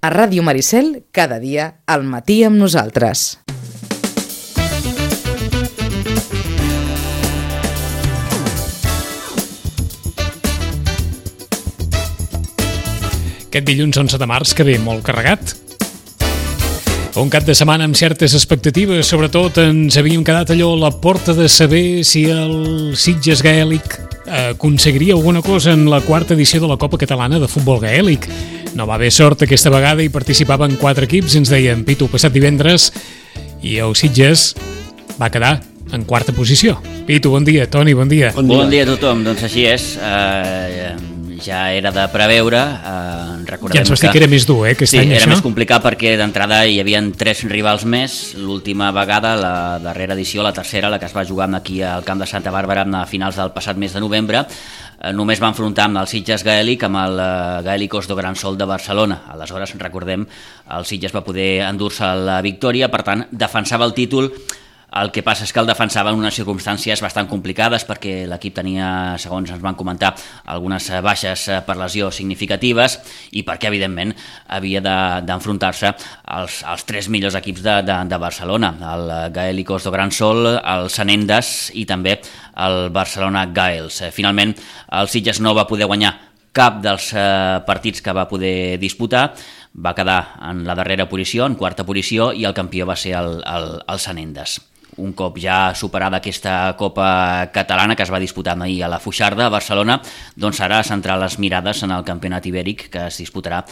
A Ràdio Maricel, cada dia, al matí amb nosaltres. Aquest dilluns 11 de març que ve molt carregat. Un cap de setmana amb certes expectatives, sobretot ens havíem quedat allò a la porta de saber si el Sitges Gaèlic aconseguiria alguna cosa en la quarta edició de la Copa Catalana de Futbol Gaèlic. No va haver sort aquesta vegada i participaven 4 equips, ens deien Pitu passat divendres, i el Sitges va quedar en quarta posició. Pitu, bon dia. Toni, bon dia. Bon dia a tothom. Doncs així és. Ja era de preveure. Ja ens vas dir que era més dur, aquest any, això? Sí, era això? més complicat perquè d'entrada hi havia 3 rivals més. L'última vegada, la darrera edició, la tercera, la que es va jugar aquí al camp de Santa Bàrbara a finals del passat mes de novembre, només va enfrontar amb el Sitges Gaèlic amb el Gaèlicos do Gran Sol de Barcelona. Aleshores, recordem, el Sitges va poder endur-se la victòria, per tant, defensava el títol. El que passa és que el defensava en unes circumstàncies bastant complicades perquè l'equip tenia, segons ens van comentar, algunes baixes per lesió significatives i perquè, evidentment, havia d'enfrontar-se als 3 millors equips de Barcelona, el Gaèlicos do Gran Sol, el Sanendes i també el Barcelona Gaels. Finalment, el Sitges no va poder guanyar cap dels partits que va poder disputar, va quedar en la darrera posició, en quarta posició, i el campió va ser el Sanendes. Un cop ja superada aquesta Copa Catalana que es va disputar ahir a la Foixarda, a Barcelona, doncs ara centrar les mirades en el campionat ibèric que es disputarà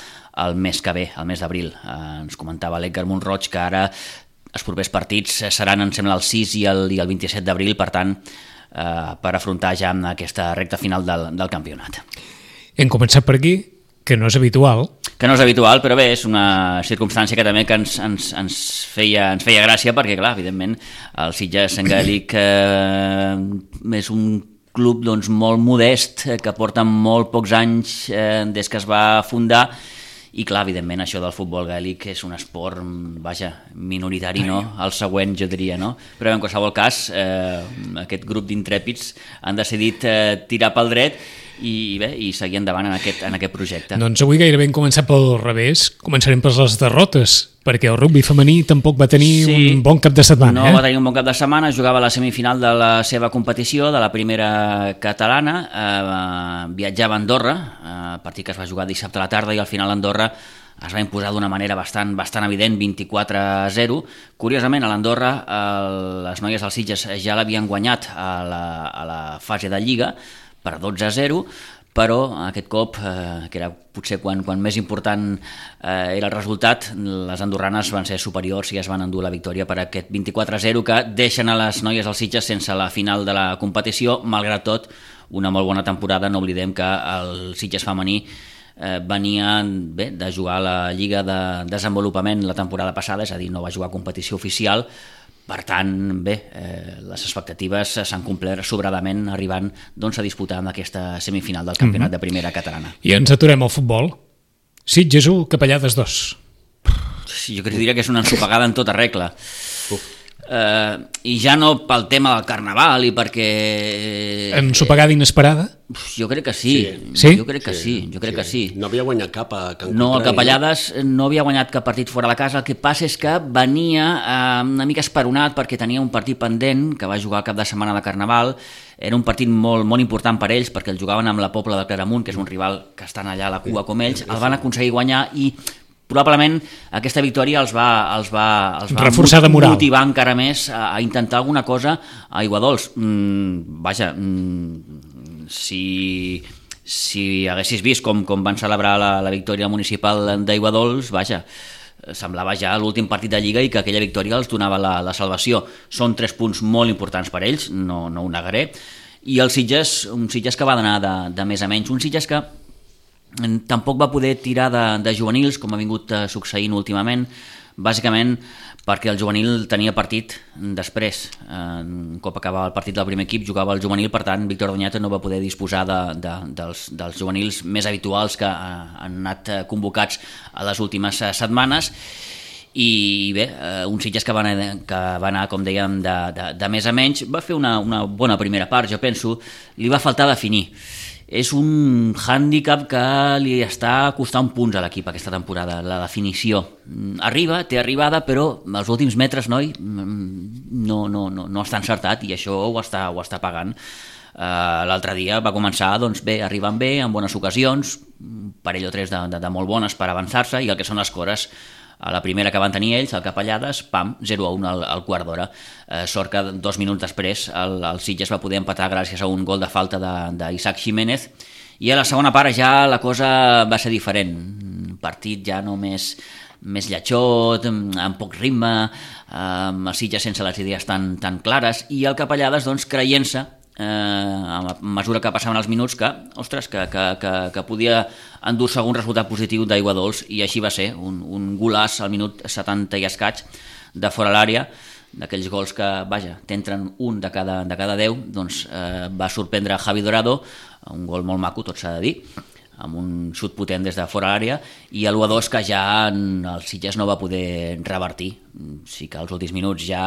el mes que ve, el mes d'abril. Ens comentava l'Edgar Montroig que ara els propers partits seran, em sembla, el 6 i el 27 d'abril, per tant, per afrontar ja aquesta recta final del campionat. Hem començat per aquí, que no és habitual. Que no és habitual, però bé, és una circumstància que també que ens feia gràcia, perquè, clar, evidentment, el Sitges Gaèlic és un club doncs, molt modest, que porta molt pocs anys des que es va fundar, i clar, evidentment, això del futbol gaèlic és un esport, vaja, minoritari, no? El següent, jo diria, no? Però en qualsevol cas, aquest grup d'intrèpids han decidit tirar pel dret i bé, i seguir endavant en aquest projecte. Doncs avui gairebé hem començat pel revés. Començarem per les derrotes, perquè el rugbi femení tampoc va tenir un bon cap de setmana. No va tenir un bon cap de setmana, jugava a la semifinal de la seva competició, de la primera catalana, viatjava a Andorra, partit que es va jugar dissabte a la tarda, i al final Andorra es va imposar d'una manera bastant evident, 24-0. Curiosament, a l'Andorra les noies del Sitges ja l'havien guanyat a la fase de Lliga, per 12-0, però aquest cop, que era potser quan més important era el resultat, les andorranes van ser superiors i es van endur la victòria per aquest 24-0 que deixen a les noies del Sitges sense la final de la competició. Malgrat tot, una molt bona temporada. No oblidem que el Sitges femení venia bé de jugar a la Lliga de Desenvolupament la temporada passada, és a dir, no va jugar a competició oficial. Per tant, bé, les expectatives s'han complert sobradament arribant doncs, a disputar amb aquesta semifinal del campionat de primera catalana. I ens aturem al futbol. Sitges 1, Capellades 2. Sí, jo diria que és una ensopegada en tota regla. I ja no pel tema del carnaval i perquè... Ensopegada inesperada? Jo crec que sí. Sí? Jo crec que sí. No havia guanyat cap a Can Contrari. No, el Capellades no havia guanyat cap partit fora de casa. El que passa és que venia una mica esperonat perquè tenia un partit pendent que va jugar el cap de setmana de Carnaval. Era un partit molt, molt important per ells perquè el jugaven amb la Pobla de Claramunt, que és un rival que estan allà a la cua com ells. El van aconseguir guanyar i probablement aquesta victòria els va reforçar de moral, motivar encara més a intentar alguna cosa a Aiguadols. Si haguessis vist com van celebrar la victòria municipal d'Aiguadols, vaja, semblava ja l'últim partit de Lliga i que aquella victòria els donava la salvació. Són 3 punts molt importants per ells, no ho negaré, i el Sitges, un Sitges que va d'anar de més a menys, un Sitges que tampoc va poder tirar de juvenils, com ha vingut succeint últimament, bàsicament perquè el juvenil tenia partit després. Un cop acabava el partit del primer equip, jugava el juvenil, per tant, Víctor Doñate no va poder disposar dels juvenils més habituals que han anat convocats a les últimes setmanes. I bé, un Sitges que va anar, com dèiem, de més a menys. Va fer una bona primera part, jo penso. Li va faltar definir. és un hàndicap que li està costant punts a l'equip aquesta temporada, la definició. Té arribada, però els últims metres, noi, no està encertat i això ho està pagant. L'altre dia va començar doncs, arribant bé, amb bones ocasions, un parell o tres de molt bones per avançar-se, i el que són les cores, a la primera que van tenir ells, al Capellades, pam, 0-1 al quart d'hora. Sort que 2 minuts després el Sitges va poder empatar gràcies a un gol de falta d'Isaac Jiménez, i a la segona part ja la cosa va ser diferent. Un partit ja no més lletjot, amb poc ritme, amb el Sitges sense les idees tan clares, i el Capellades doncs, creient-se a mesura que passaven els minuts que podia endur-se algun resultat positiu d'aigua dolç, i així va ser, un golàs al minut 70 i escaig de fora l'àrea, d'aquells gols que, t'entren un de cada 10, doncs va sorprendre Javi Dorado, un gol molt maco, tot s'ha de dir, amb un xut potent des de fora l'àrea, i l'1-2 que ja el Sitges no va poder revertir. Sí que als últims minuts ja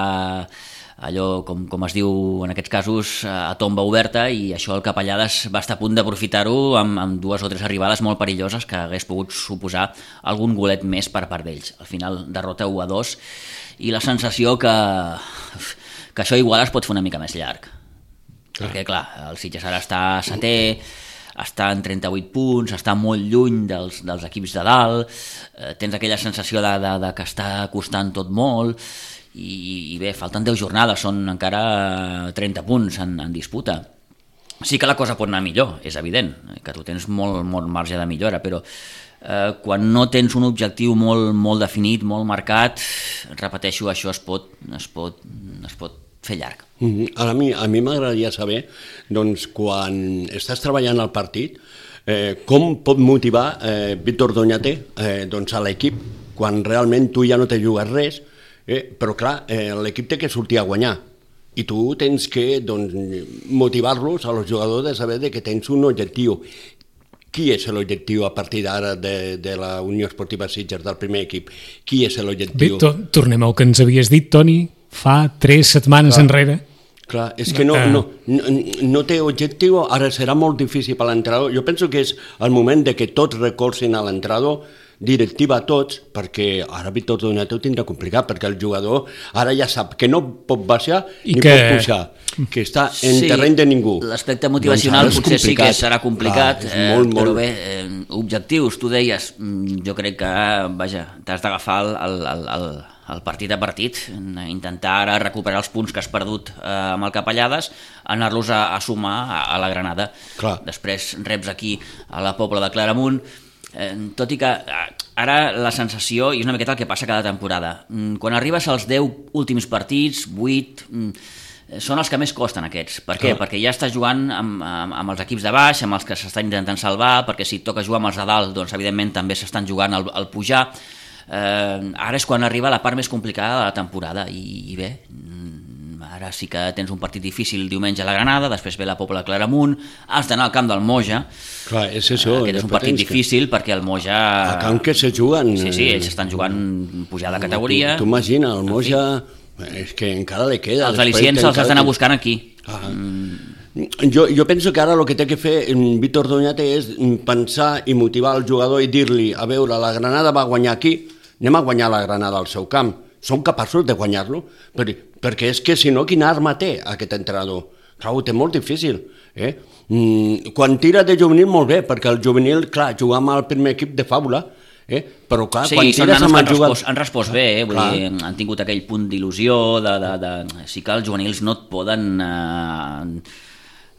allò, com es diu en aquests casos, a tomba oberta, i això el Capellades va estar a punt d'aprofitar-ho amb 2 o 3 arribades molt perilloses que hagués pogut suposar algun golet més per part d'ells. Al final, derrota 1-2, i la sensació que això igual es pot fer una mica més llarg. Perquè, clar, el Sitges ara està setè, està en 38 punts, està molt lluny dels equips de dalt, tens aquella sensació de que està costant tot molt, i bé, falten 10 jornades, són encara 30 punts en disputa. Sí que la cosa pot anar millor, és evident, que tu tens molt marge de millora, però quan no tens un objectiu molt definit, molt marcat, repeteixo, això es pot fer llarg. Ara a mi m'agradaria saber, doncs, quan estàs treballant al partit, com pot motivar Víctor Doñate doncs, a l'equip, quan realment tu ja no te jugues res, però clar, l'equip té que sortir a guanyar, i tu tens que motivar-los a los jugadors de saber que tens un objectiu. Qui és l'objectiu a partir d'ara de la Unió Esportiva Sitges, del primer equip? Qui és l'objectiu? Bé, tornem al que ens havies dit, Toni, fa 3 setmanes enrere. Clar, és que no té objectiu, ara serà molt difícil per l'entrenador. Jo penso que és el moment de que tots recolzin a l'entrenador, directiva a tots, perquè ara Víctor Doñate ho tindrà complicat, perquè el jugador ara ja sap que no pot baixar ni pot pujar, que està en terreny de ningú. L'aspecte motivacional potser sí que serà complicat, però bé, objectius, tu deies, jo crec que, t'has d'agafar el partit a partit, intentar ara recuperar els punts que has perdut amb el Capellades, anar-los a sumar a la Granada. Després reps aquí a la Pobla de Claramunt, tot i que ara la sensació, i és una miqueta el que passa cada temporada, quan arribes als 10 últims partits, 8, són els que més costen aquests. Per què? Perquè ja estàs jugant amb els equips de baix, amb els que s'estan intentant salvar, perquè si et toca jugar amb els de dalt, doncs evidentment també s'estan jugant al pujar. Ara és quan arriba la part més complicada de la temporada, i bé, ara sí que tens un partit difícil diumenge a la Granada, després ve la Pobla de Claramunt, has d'anar al camp del Moja. Clar, és això. Aquest és un partit difícil perquè el Moja... A camp que se juguen... Sí, ells estan jugant pujada de categoria. Tu imagina, el Moja, és que encara li queda... Els al·licients els has d'anar buscant aquí. Jo penso que ara el que té que fer Víctor Doñate és pensar i motivar el jugador i dir-li, a veure, la Granada va guanyar aquí, anem a guanyar la Granada al seu camp. Som capaços de guanyar-lo? Perquè és que si no, quina arma té aquest entrenador? Clar, ho té molt difícil. Quan tira de juvenil, molt bé, perquè el juvenil, clar, jugar amb el primer equip de Fàbula, però clar, sí, quan tires amb el jugador... Han respost bé, vull dir, han tingut aquell punt d'il·lusió, sí que els juvenils no et poden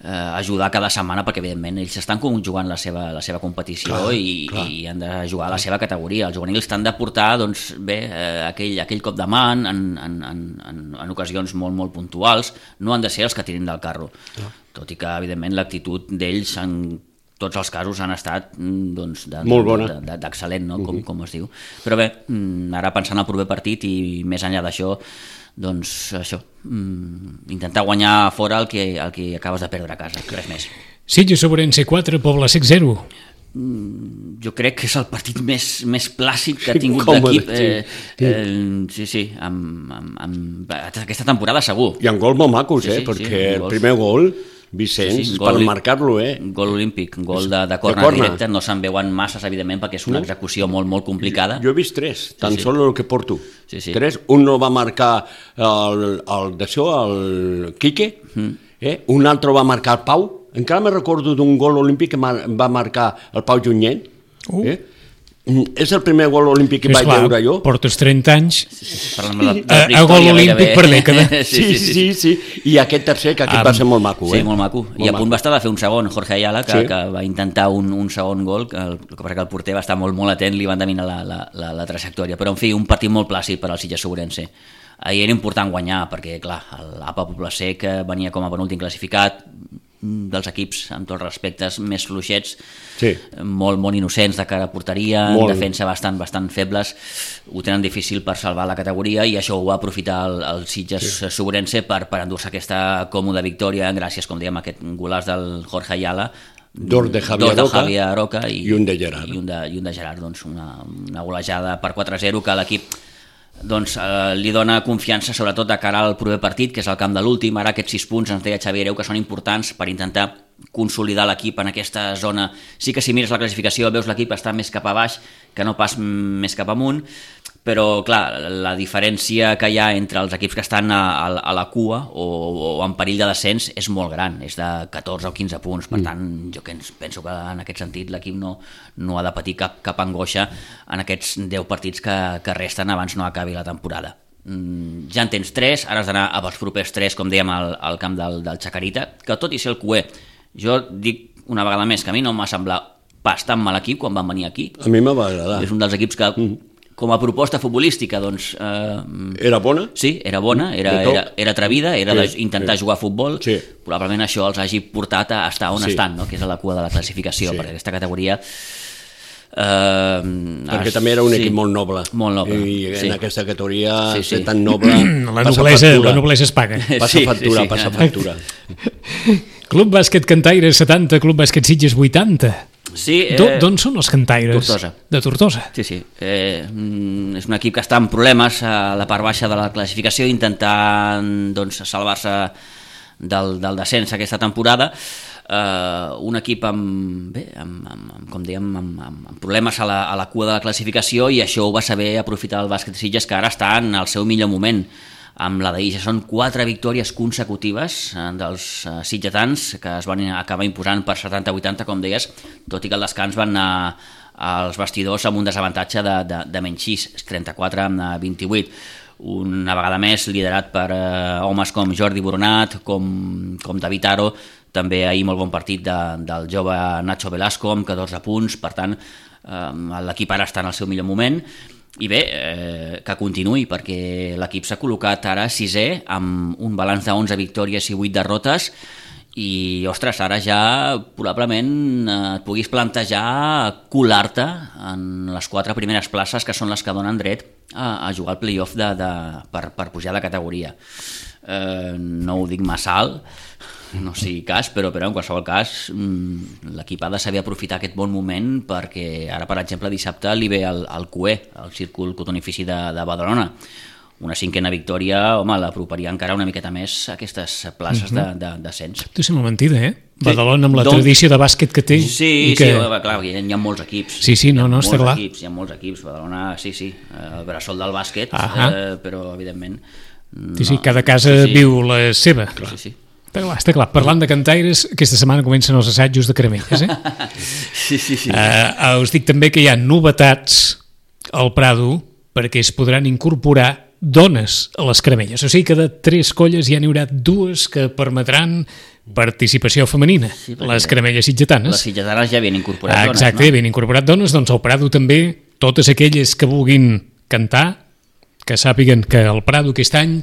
ajudar cada setmana, perquè evidentment ells estan jugant la seva competició i han de jugar a la seva categoria. Els juvenils t'han de portar doncs, bé, aquell cop de mà en ocasions molt puntuals, no han de ser els que tirin del carro, tot i que evidentment l'actitud d'ells en tots els casos han estat doncs, d'excel·lent, no? Com es diu. Però bé, ara pensant al proper partit i més enllà d'això, doncs això, intentar guanyar fora el que acabes de perdre a casa, res més. Sitges Ourense 4, Pobla Sec 0. Jo crec que és el partit més clàssic que ha tingut l'equip. Sí, amb aquesta temporada segur. I amb gols molt macos, perquè el primer gol Vicenç, per marcar-lo, Gol olímpic, gol de corna directe, no se'n veuen masses, evidentment, perquè és una execució molt, molt complicada. Jo he vist 3, tan sol el que porto. 3, un no va marcar el Quique, un altre va marcar el Pau, encara me recordo d'un gol olímpic que va marcar el Pau Junyent, és el primer gol olímpic que vaig veure jo. Portes 30 anys a gol olímpic per dècada. Sí. I aquest tercer, que aquest va ser molt maco. Sí, molt maco. I a punt va estar de fer un segon, Jorge Ayala, que va intentar un segon gol, el que passa que el porter va estar molt, molt atent, li van dominar la trajectòria. Però, en fi, un partit molt plàcid per al Sitges Ourense. Ahir era important guanyar, perquè, clar, l'APA Poble-sec venia com a penúltim classificat, dels equips, amb tots els respectes, més fluixets, molt innocents de cara a porteria, en defensa bastant febles, ho tenen difícil per salvar la categoria, i això ho va aprofitar el Sitges Ourense per endur-se aquesta còmoda victòria, gràcies, com dèiem, a aquest golàs del Jorge Ayala, dos de Javier Aroca i un de Gerard. I un de Gerard, doncs una golejada per 4-0 que l'equip li dona confiança, sobretot de cara al proper partit, que és el camp de l'últim. Ara aquests 6 punts, ens deia Xavi Hereu, que són importants per intentar consolidar l'equip en aquesta zona. Sí que si mires la classificació veus l'equip està més cap a baix que no pas més cap amunt, però clar, la diferència que hi ha entre els equips que estan a la cua o en perill de descens és molt gran, és de 14 o 15 punts. Per tant, jo penso que en aquest sentit l'equip no ha de patir cap angoixa en aquests 10 partits que resten abans no acabi la temporada. Ja en tens 3, ara has d'anar als propers 3, com dèiem, al camp del Chacarita, que tot i ser el cué, jo dic una vegada més que a mi no m'ha semblat pas tan mal equip quan van venir aquí. A mi m'ha agradar. És un dels equips que, com a proposta futbolística, doncs... Era bona? Sí, era bona, era atrevida, era d'intentar jugar a futbol. Probablement això els hagi portat a estar on estan, no? Que és a la cua de la classificació, perquè aquesta categoria... perquè també era un equip molt noble, i en aquesta categoria ser tan noble la noblesa es paga, passa factura. Club Bàsquet Cantaires 70, Club Bàsquet Sitges 80. D'on són els cantaires? Tortosa. De Tortosa. Sí. És un equip que està en problemes a la part baixa de la classificació, intentant salvar-se del descens aquesta temporada. Un equip amb problemes a la cua de la classificació, i això ho va saber aprofitar el Bàsquet Sitges, que ara està en el seu millor moment. Amb la d'ahir són 4 victòries consecutives dels sitgetans, que es van acabar imposant per 70-80, com deies, tot i que al descans van anar als vestidors amb un desavantatge de menys 6, 34-28. Una vegada més liderat per homes com Jordi Boronat, com David Aro, també ahir molt bon partit del jove Nacho Velasco amb 14 punts. Per tant, l'equip ara està en el seu millor moment, i bé, que continuï, perquè l'equip s'ha col·locat ara 6è amb un balanç de 11 victòries i 8 derrotes, i ostres, ara ja probablement et puguis plantejar colar-te en les 4 primeres places, que són les que donen dret a jugar al play-off per pujar de categoria. No ho dic massa alt, no sigui cas, però en qualsevol cas l'equip ha de saber aprofitar aquest bon moment, perquè ara, per exemple, dissabte li ve el CUE, el Círcul Cotonifici de Badalona. Una 5a victòria, home, l'aproparia encara una miqueta més a aquestes places d'ascens. Tu sembla mentida, Badalona, amb la tradició de bàsquet que té. Sí, clar, hi ha molts equips. Sí, no, està clar. Hi ha molts equips, Badalona, sí, el bressol del bàsquet, però evidentment... Sí, cada casa viu la seva. Sí. Està clar. Parlant de cantaires, aquesta setmana comencen els assajos de caramelles, Sí. Us dic també que hi ha novetats al Prado, perquè es podran incorporar dones a les caramelles. O sigui que de 3 colles ja n'hi haurà 2 que permetran participació femenina. Sí, les caramelles sitgetanes. Les sitgetanes ja havien incorporat dones, exacte, havien incorporat dones, doncs al Prado també, totes aquelles que vulguin cantar, que sàpiguen que el Prado aquest any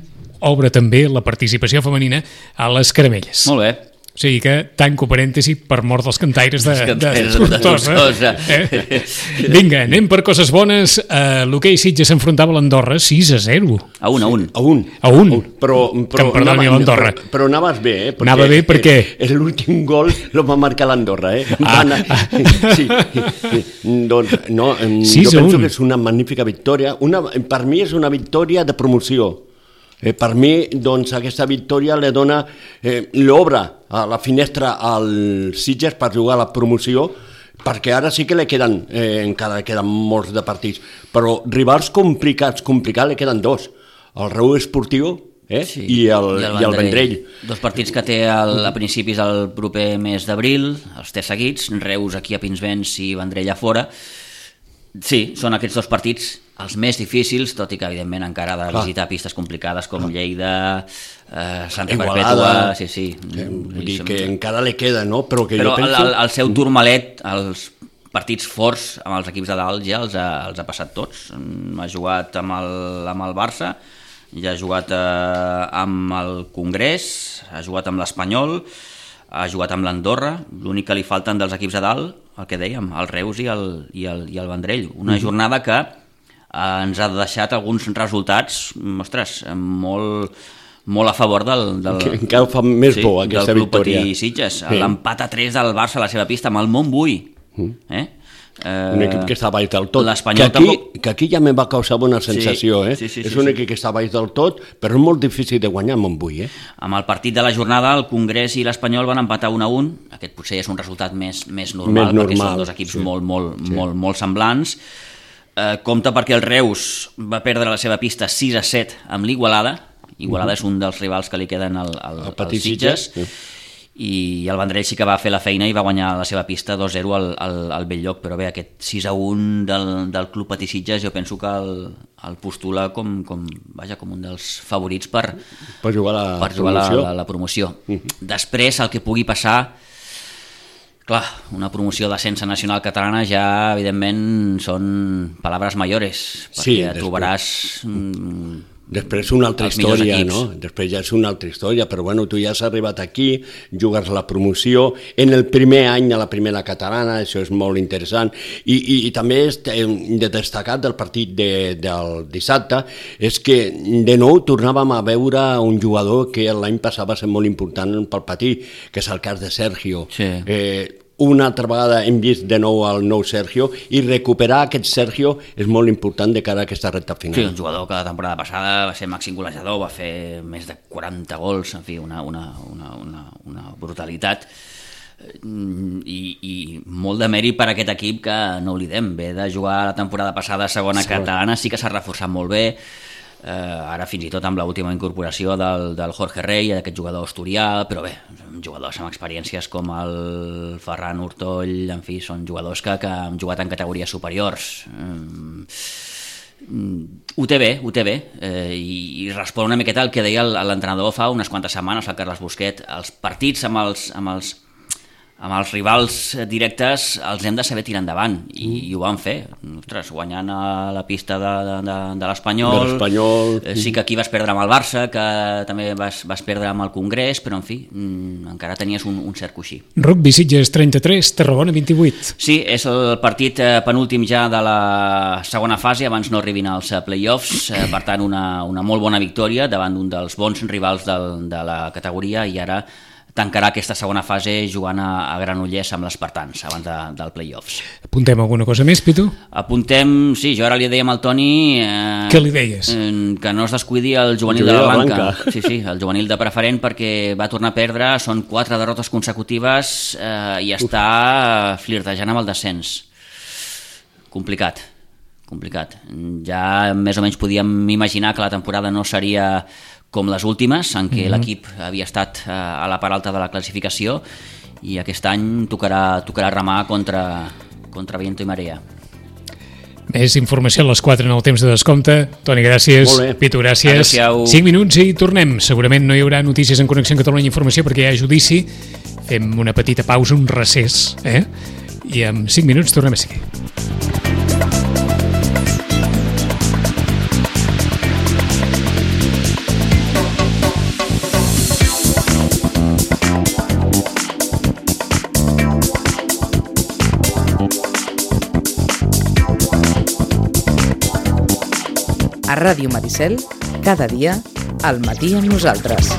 obre també la participació femenina a les caramelles. Molt bé. O sigui que, tanco parèntesi, per mort dels cantaires de Tortosa. Vinga, anem per coses bones. L'hoquei Sitges s'enfrontava a l'Andorra 6-0. A 1. A 1. Però que em perdoni l'Andorra. Però anaves bé, Anava bé perquè... L'últim gol lo va marcar l'Andorra, Sí. Doncs, no, jo penso que és una magnífica victòria. Per mi és una victòria de promoció. Per mi, doncs, aquesta victòria li dona, l'obre a la finestra al Sitges per jugar a la promoció, perquè ara sí que li queden, encara queden molts de partits, però rivals complicats li queden dos, el Reus Esportiu i el Vendrell. Dos partits que té a principis del proper mes d'abril, els té seguits, Reus aquí a Pinsbens i Vendrell a fora. Sí, són aquests dos partits els més difícils, tot i que evidentment encara ha de visitar pistes complicades com Lleida, Santa Perpètua... Sí. Vull dir que encara li queda, no? Però el seu turmalet, els partits forts amb els equips de dalt ja els ha passat tots. Ha jugat amb el Barça, ja ha jugat amb el Congrés, ha jugat amb l'Espanyol, ha jugat amb l'Andorra. L'únic que li falten dels equips de dalt, el que dèiem, el Reus i el Vendrell. Una jornada que ens ha deixat alguns resultats, ostres, molt a favor del encara fa més bo aquesta Club victòria. Patí Sitges. L'empat a 3 del Barça a la seva pista amb el Montbui. Un equip que està baix del tot, que aquí ja me va causar bona sensació. És un equip que està baix del tot, però és molt difícil de guanyar amb Montbui. Amb el partit de la jornada, el Congrés i l'Espanyol van empatar 1-1. Aquest potser és un resultat més normal, perquè són dos equips molt semblants. Compte perquè el Reus va perdre la seva pista 6-7 amb l'Igualada. Igualada és un dels rivals que li queden al Sitges. I el Vendrell sí que va fer la feina i va guanyar la seva pista 2-0 al Belllloc, però bé, aquest 6-1 del Club Patí Sitges jo penso que el postula com un dels favorits per jugar la promoció. Després, el que pugui passar, clar, una promoció d'ascens nacional catalana ja, evidentment, són paraules mayores, perquè trobaràs... Després una altra història, no? Després ja és una altra història, però bueno, tu ja has arribat aquí, jugues la promoció, en el primer any a la primera catalana, això és molt interessant, i també de destacat del partit del dissabte, és que de nou tornàvem a veure un jugador que l'any passat va ser molt important pel Patí, que és el cas de Sergio. Una altra vegada hem vist de nou el nou Sergio i recuperar aquest Sergio és molt important de cara a aquesta recta final. Sí, un jugador que la temporada passada va ser màxim golejador, va fer més de 40 gols, en fi, una brutalitat i molt de mèrit per a aquest equip que, no oblidem, ve de jugar la temporada passada a segona catalana, sí que s'ha reforçat molt bé. Ara fins i tot amb l'última incorporació del Jorge Rey, d'aquest jugador asturià, però bé, jugadors amb experiències com el Ferran Hurtoll, en fi, són jugadors que han jugat en categories superiors. Ho té bé, i respon una miqueta al que deia l'entrenador fa unes quantes setmanes, el Carles Busquet. Els partits amb els rivals directes els hem de saber tirar endavant, i ho van fer. Ostres, guanyant a la pista de l'Espanyol. Sí que aquí vas perdre amb el Barça, que també vas perdre amb el Congrés, però en fi, encara tenies un cert coixí. Rugby Sitges 33, Tarragona 28. Sí, és el partit penúltim ja de la segona fase, abans no arribin als play-offs, per tant una molt bona victòria davant d'un dels bons rivals de la categoria, i ara tancarà aquesta segona fase jugant a Granollers amb l'Espartans abans del play-offs. Apuntem alguna cosa més, Pitu? Apuntem, sí, jo ara li dèiem al Toni... Què li deies? Que no es descuidi el juvenil de la Blanca. Sí, el juvenil de preferent, perquè va tornar a perdre, són 4 derrotes consecutives i està flirtejant amb el descens. Complicat. Ja més o menys podíem imaginar que la temporada no seria com les últimes, en què l'equip havia estat a la part alta de la classificació, i aquest any tocarà remar contra viento i marea. Més informació a les 4 en el temps de descompte. Toni, gràcies. Pitu, gràcies. Adéu-siau. 5 minuts i tornem. Segurament no hi haurà notícies en Connexió Catalunya Informació perquè hi ha judici. Fem una petita pausa, un recés, i en 5 minuts tornem a seguir. A Ràdio Maricel, cada dia, al matí amb nosaltres.